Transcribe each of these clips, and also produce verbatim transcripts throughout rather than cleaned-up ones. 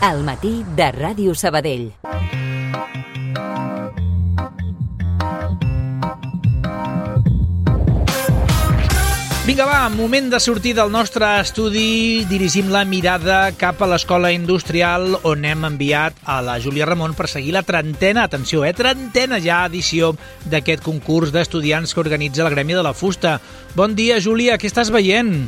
Al matí de Ràdio Sabadell. Vinga, va, moment de sortir del nostre estudi. Dirigim la mirada cap a l'Escola Industrial, on hem enviat a la Júlia Ramon per seguir la trentena, atenció, eh, trentena ja edició d'aquest concurs d'estudiants que organitza la Gremi de la Fusta. Bon dia, Júlia, què estàs veient?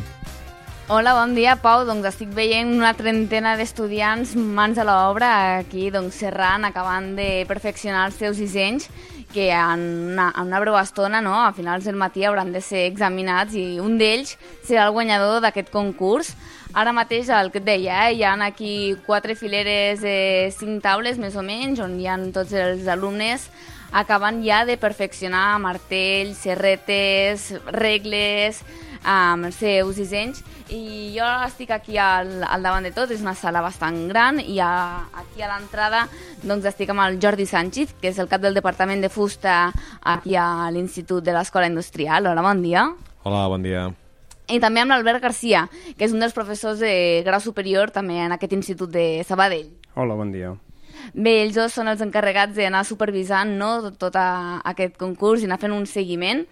Hola, bon dia, Pau. Doncs estic veient una trentena d'estudiants mans a l'obra aquí, doncs, serrant, acabant de perfeccionar els seus dissenys, que en una, en una breu estona, no, a finals del matí, hauran de ser examinats i un d'ells serà el guanyador d'aquest concurs. Ara mateix, el que et deia, eh, hi ha aquí quatre fileres de cinc taules, més o menys, on hi ha tots els alumnes acabant ja de perfeccionar martells, serretes, regles, amb els seus dissenys, i jo estic aquí al, al davant de tot. És una sala bastant gran i a, aquí a l'entrada doncs estic amb el Jordi Sánchez, que és el cap del Departament de Fusta aquí a l'Institut de l'Escola Industrial. Hola, bon dia. Hola, bon dia. I també amb l'Albert Garcia, que és un dels professors de grau superior també en aquest Institut de Sabadell. Hola, bon dia. Bé, ells dos són els encarregats d'anar supervisant, no, tot a, aquest concurs i anar fent un seguiment.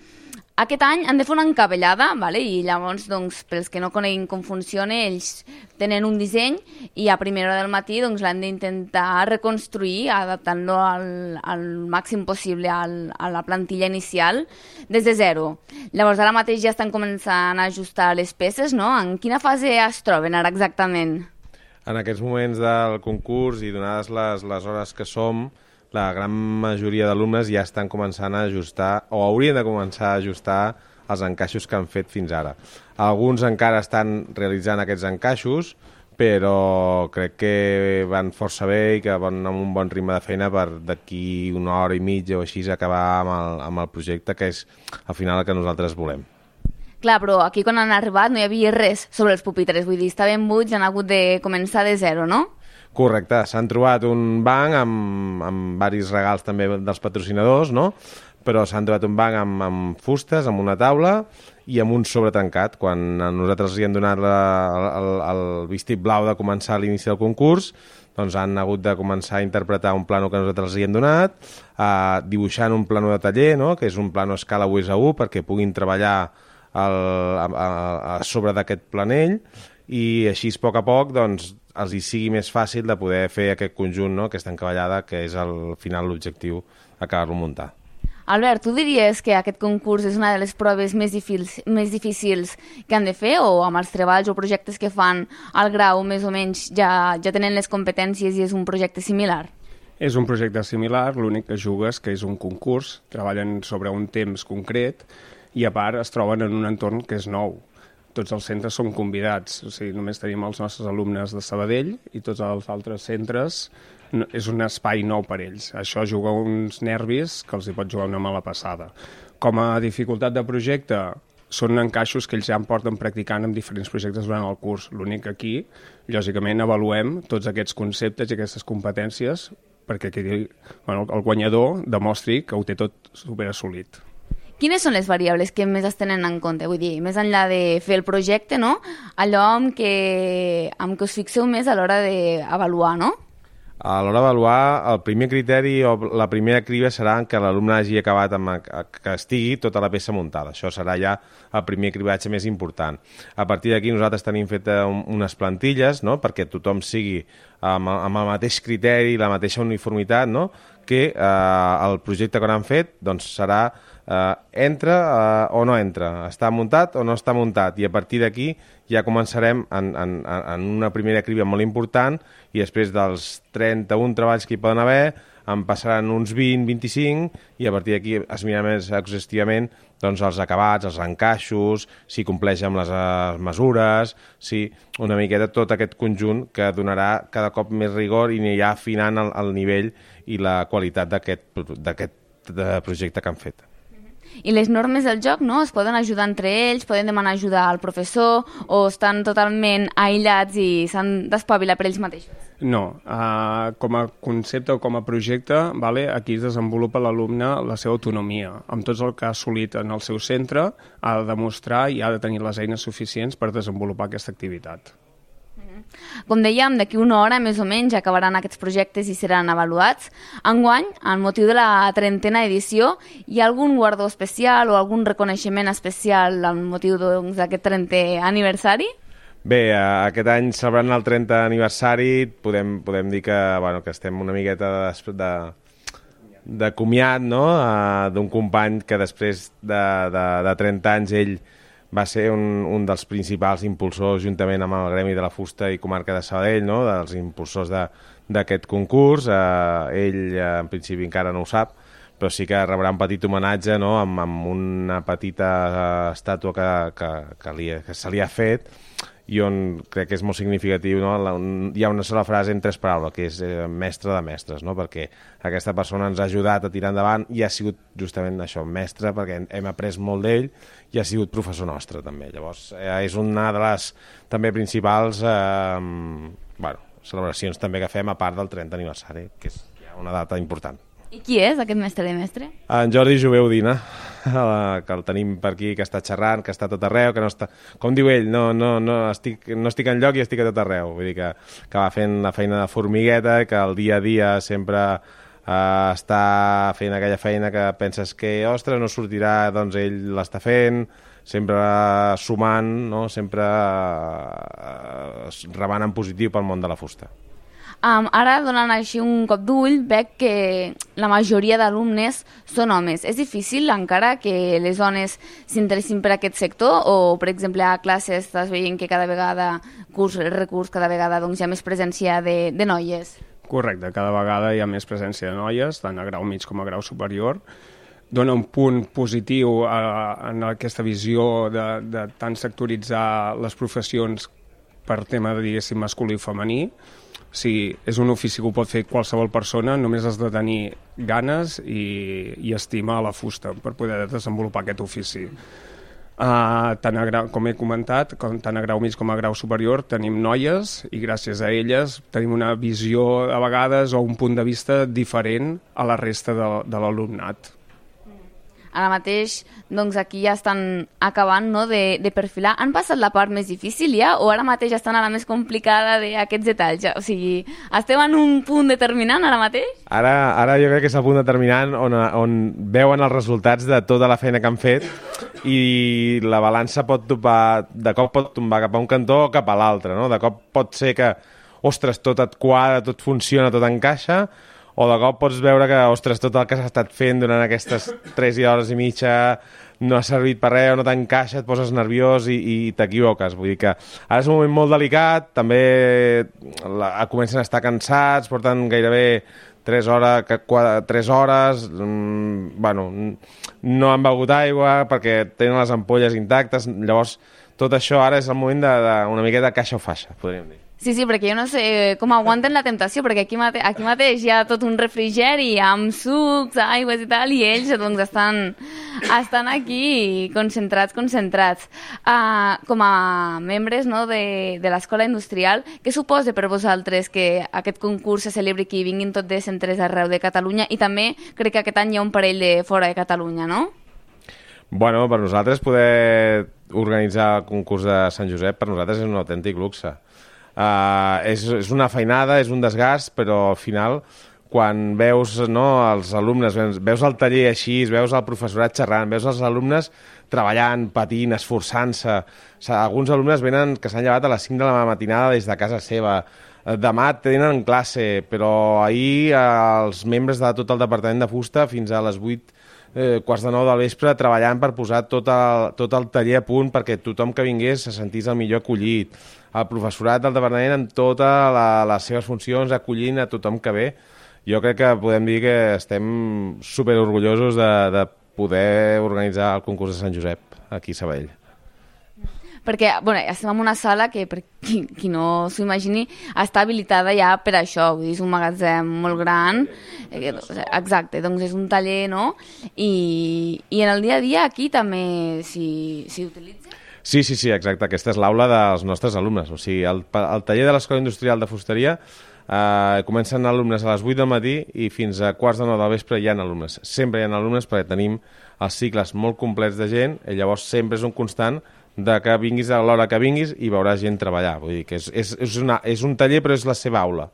Aquest any han de fer una encavallada, vale? I llavors, doncs, pels que no coneguin com funciona, ells tenen un disseny i a primera hora del matí doncs, l'han d'intentar reconstruir, adaptant-lo al, al màxim possible al, a la plantilla inicial des de zero. Llavors, ara mateix ja estan començant a ajustar les peces, no? En quina fase es troben ara exactament? En aquests moments del concurs i donades les, les hores que som, la gran majoria d'alumnes ja estan començant a ajustar, o haurien de començar a ajustar els encaixos que han fet fins ara. Alguns encara estan realitzant aquests encaixos, però crec que van força bé i que van amb un bon ritme de feina per d'aquí una hora i mitja o així acabar amb el, amb el projecte, que és al final el que nosaltres volem. Clar, però aquí quan han arribat no hi havia res sobre els pupitres, vull dir, estaven buits, han hagut de començar de zero, no? Correcte, s'han trobat un banc amb, amb varis regals també dels patrocinadors, no? Però s'han trobat un banc amb, amb fustes, amb una taula i amb un sobretancat. Quan nosaltres els hi hem donat la, el, el vistit blau de començar a l'inici del concurs, doncs han hagut de començar a interpretar un plano que nosaltres els hi hem donat, eh, dibuixant un plano de taller, no? Que és un plano a escala u és a u perquè puguin treballar el, a, a, a sobre d'aquest planell, i així a poc a poc doncs, els hi sigui més fàcil de poder fer aquest conjunt, no? Aquesta encavallada, que és al final l'objectiu, acabar-lo muntar. Albert, tu diries que aquest concurs és una de les proves més difícils, més difícils que han de fer, o amb els treballs o projectes que fan al grau més o menys ja, ja tenen les competències i és un projecte similar? És un projecte similar, l'únic que jugues que és un concurs, treballen sobre un temps concret i a part es troben en un entorn que és nou. Tots els centres són convidats, o sigui, només tenim els nostres alumnes de Sabadell i tots els altres centres és un espai nou per ells. Això juga uns nervis que els hi pot jugar una mala passada. Com a dificultat de projecte, són encaixos que ells ja en porten practicant en diferents projectes durant el curs. L'únic que aquí, lògicament, avaluem tots aquests conceptes i aquestes competències perquè bueno, el guanyador demostri que ho té tot superassolit. Quines són les variables que més es tenen en compte? Vull dir, més enllà de fer el projecte, no? Allò amb què, amb què us fixeu més a l'hora d'avaluar, no? A l'hora d'avaluar, el primer criteri o la primera criba serà que l'alumne hagi acabat amb que estigui tota la peça muntada. Això serà ja el primer cribatge més important. A partir d'aquí nosaltres tenim fet unes plantilles, no?, perquè tothom sigui amb, amb el mateix criteri, la mateixa uniformitat, no?, que eh, el projecte que han fet doncs, serà eh, entra eh, o no entra, està muntat o no està muntat, i a partir d'aquí ja començarem en, en, en una primera criba molt important, i després dels trenta-un treballs que hi poden haver en passaran uns vint a vint-i-cinc, i a partir d'aquí es mirarà més exhaustivament doncs, els acabats, els encaixos, si compleix amb les mesures, si una miqueta tot aquest conjunt que donarà cada cop més rigor i anirà afinant el, el nivell i la qualitat d'aquest projecte que han fet. I les normes del joc, no?, es poden ajudar entre ells, poden demanar ajuda al professor, o estan totalment aïllats i s'han d'espavilar per ells mateixos? No, uh, com a concepte o com a projecte, vale, aquí es desenvolupa l'alumne la seva autonomia. Amb tot el que ha assolit en el seu centre, ha de demostrar i ha de tenir les eines suficients per desenvolupar aquesta activitat. Mm-hmm. Com dèiem, d'aquí una hora més o menys acabaran aquests projectes i seran avaluats. Enguany, amb motiu de la trentena edició, hi ha algun guardó especial o algun reconeixement especial amb motiu doncs, d'aquest trentè aniversari? Bé, aquest any celebrant el trentè aniversari podem, podem dir que, bueno, que estem una miqueta de, de, de comiat, no? D'un company que després de, de, de trenta anys ell va ser un, un dels principals impulsors, juntament amb el Gremi de la Fusta i Comarca de Sabadell, no? Dels impulsors d'aquest concurs. Eh, ell, eh, en principi, encara no ho sap, però sí que rebrà un petit homenatge, no? amb, amb una petita eh, estàtua que, que, que, li, que se li ha fet, i on crec que és molt significatiu, no? La, un, hi ha una sola frase en tres paraules, que és eh, mestre de mestres, no? Perquè aquesta persona ens ha ajudat a tirar endavant i ha sigut justament això, mestre, perquè hem après molt d'ell i ha sigut professor nostre també. Llavors eh, és una de les també principals eh, bueno, celebracions també que fem a part del trentè aniversari, que és ja una data important. I qui és aquest mestre de mestre? En Jordi Jové Udina, que el tenim per aquí, que està xerrant, que està a tot arreu, que no està... Com diu ell, no, no, no, estic, no estic enlloc i estic a tot arreu. Vull dir que, que va fent la feina de formigueta, que el dia a dia sempre eh, està fent aquella feina que penses que, ostres, no sortirà, doncs ell l'està fent, sempre sumant, no? Sempre eh, rebant en positiu pel món de la fusta. Um, ara, donant així un cop d'ull, veig que la majoria d'alumnes són homes. És difícil encara que les dones s'interessin per aquest sector o, per exemple, a classes estàs veient que cada vegada, curs recurs, cada vegada doncs, hi ha més presència de, de noies? Correcte, cada vegada hi ha més presència de noies, tant a grau mig com a grau superior. Dona un punt positiu a, en aquesta visió de, de tant sectoritzar les professions per tema, diguéssim, masculí i femení. O sigui, és un ofici que ho pot fer qualsevol persona, només has de tenir ganes i, i estima a la fusta per poder desenvolupar aquest ofici. Uh, tant a grau, com he comentat, com, tant a grau mig com a grau superior tenim noies i gràcies a elles tenim una visió a vegades o un punt de vista diferent a la resta de, de l'alumnat. Ara mateix, doncs aquí ja estan acabant, no, de, de perfilar. Han passat la part més difícil ja o ara mateix estan a la més complicada d'aquests detalls? O sigui, estem en un punt determinant ara mateix? Ara, ara jo crec que és el punt determinant on, on veuen els resultats de tota la feina que han fet i la balança pot topar, de cop pot tombar cap a un cantó o cap a l'altre, no? De cop pot ser que, ostres, tot et quadra, tot funciona, tot encaixa, o de cop pots veure que, ostres, tot el que s'ha estat fent durant aquestes tres hores i mitja no ha servit per res, o no t'encaixa, et poses nerviós i, i t'equivoques. Vull dir que ara és un moment molt delicat, també la, comencen a estar cansats, porten gairebé tres hores, quatre, tres hores mmm, bueno, no han begut aigua perquè tenen les ampolles intactes, llavors tot això ara és el moment d'una de, miqueta caixa o faixa, podríem dir. Sí, sí, perquè jo no sé com aguanten la temptació, perquè aquí, mate aquí mateix hi ha tot un refrigeri amb sucs, aigües i tal, i ells doncs, estan, estan aquí concentrats, concentrats. Uh, com a membres, no, de, de l'Escola Industrial, què suposa per vosaltres que aquest concurs se celebri aquí, vinguin tots de centres arreu de Catalunya, i també crec que aquest any hi ha un parell de fora de Catalunya, no? Bueno, per nosaltres poder organitzar el concurs de Sant Josep, per nosaltres és un autèntic luxe. Uh, és, és una feinada, és un desgast, però al final quan veus, no, els alumnes, veus el taller així, veus el professorat xerrant, veus els alumnes treballant, patint, esforçant-se. O sigui, alguns alumnes venen que s'han llevat a les cinc de la matinada des de casa seva. Demà tenen classe, però ahir els membres de tot el departament de fusta fins a les vuit, eh, quarts de nou del vespre treballant per posar tot el, tot el taller a punt perquè tothom que vingués se sentís el millor acollit. El professorat del departament amb totes la, les seves funcions acollint a tothom que ve. Jo crec que podem dir que estem superorgullosos de, de poder organitzar el concurs de Sant Josep aquí a Sabadell. Perquè bueno, estem en una sala que, per qui, qui no s'ho imagini, està habilitada ja per això, vull dir, és un magatzem molt gran, eh, exacte, doncs és un taller, no? I, i en el dia a dia aquí també s'hi utilitza? Sí, sí, sí, exacte. Aquesta és l'aula dels nostres alumnes. O sigui, el, el taller de l'Escola Industrial de Fusteria eh, comencen alumnes a les vuit del matí i fins a quarts de nou del vespre hi ha alumnes. Sempre hi ha alumnes perquè tenim els cicles molt complets de gent i llavors sempre és un constant de que vinguis a l'hora que vinguis i veuràs gent treballar. Vull dir que és, és, és, una, és un taller, però és la seva aula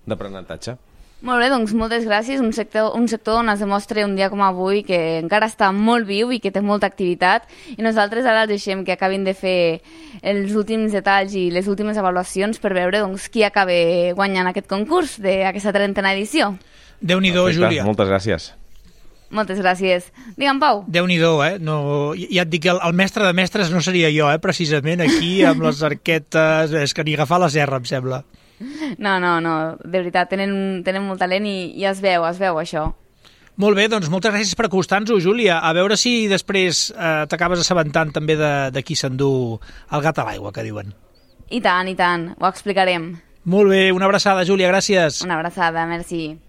d'aprenentatge. Molt bé, doncs moltes gràcies. Un sector, un sector on es demostra un dia com avui que encara està molt viu i que té molta activitat, i nosaltres ara els deixem que acabin de fer els últims detalls i les últimes avaluacions per veure doncs, qui acaba guanyant aquest concurs d'aquesta trentena edició. Déu-n'hi-do, Júlia. Moltes gràcies. Moltes gràcies. Digue'm, Pau. Déu-n'hi-do, eh? No, ja et dic que el, el mestre de mestres no seria jo, eh? Precisament aquí, amb les arquetes, és que ni agafar la serra, em sembla. No, no, no, de veritat, tenen, tenen molt talent i, i es veu, es veu això. Molt bé, doncs moltes gràcies per acostar-nos-ho, Júlia. A veure si després eh, t'acabes assabentant també de, de qui s'endú el gat a l'aigua, que diuen. I tant, i tant, ho explicarem. Molt bé, una abraçada, Júlia, gràcies. Una abraçada, merci.